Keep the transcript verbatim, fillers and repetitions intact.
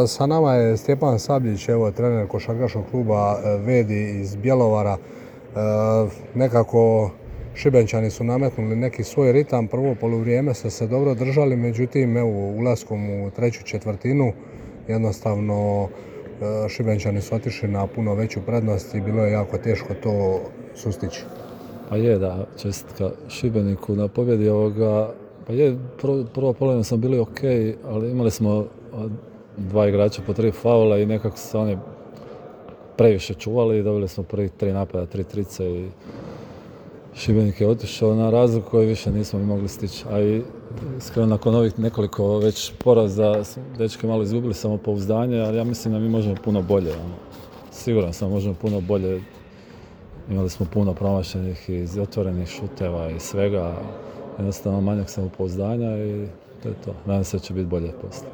Sa nama je Stjepan Sabljić, evo, trener košarkaškog kluba Vedi iz Bjelovara. Nekako Šibenčani su nametnuli neki svoj ritam, prvo poluvrijeme ste se dobro držali, međutim evo, ulaskom u treću četvrtinu jednostavno Šibenčani su otišli na puno veću prednost i bilo je jako teško to sustići. Pa je, da, čestitka Šibeniku na pobjedi ovoga. Pa je, prvo, prvo polovinu smo bili ok, ali imali smo dva igrača po tri faula i nekako se oni previše čuvali i dobili smo prvi tri napada, tri trice i Šibenik je otišao na razliku koju više nismo mogli stići. A i iskreno nakon ovih nekoliko već poraza dečki malo izgubili samopouzdanje, ali ja mislim da mi možemo puno bolje. Ono. Siguran sam možemo puno bolje. Imali smo puno promašenih iz otvorenih šuteva i svega. Jednostavno manjak samopouzdanja i to je to. Nadam se da će biti bolje poslije.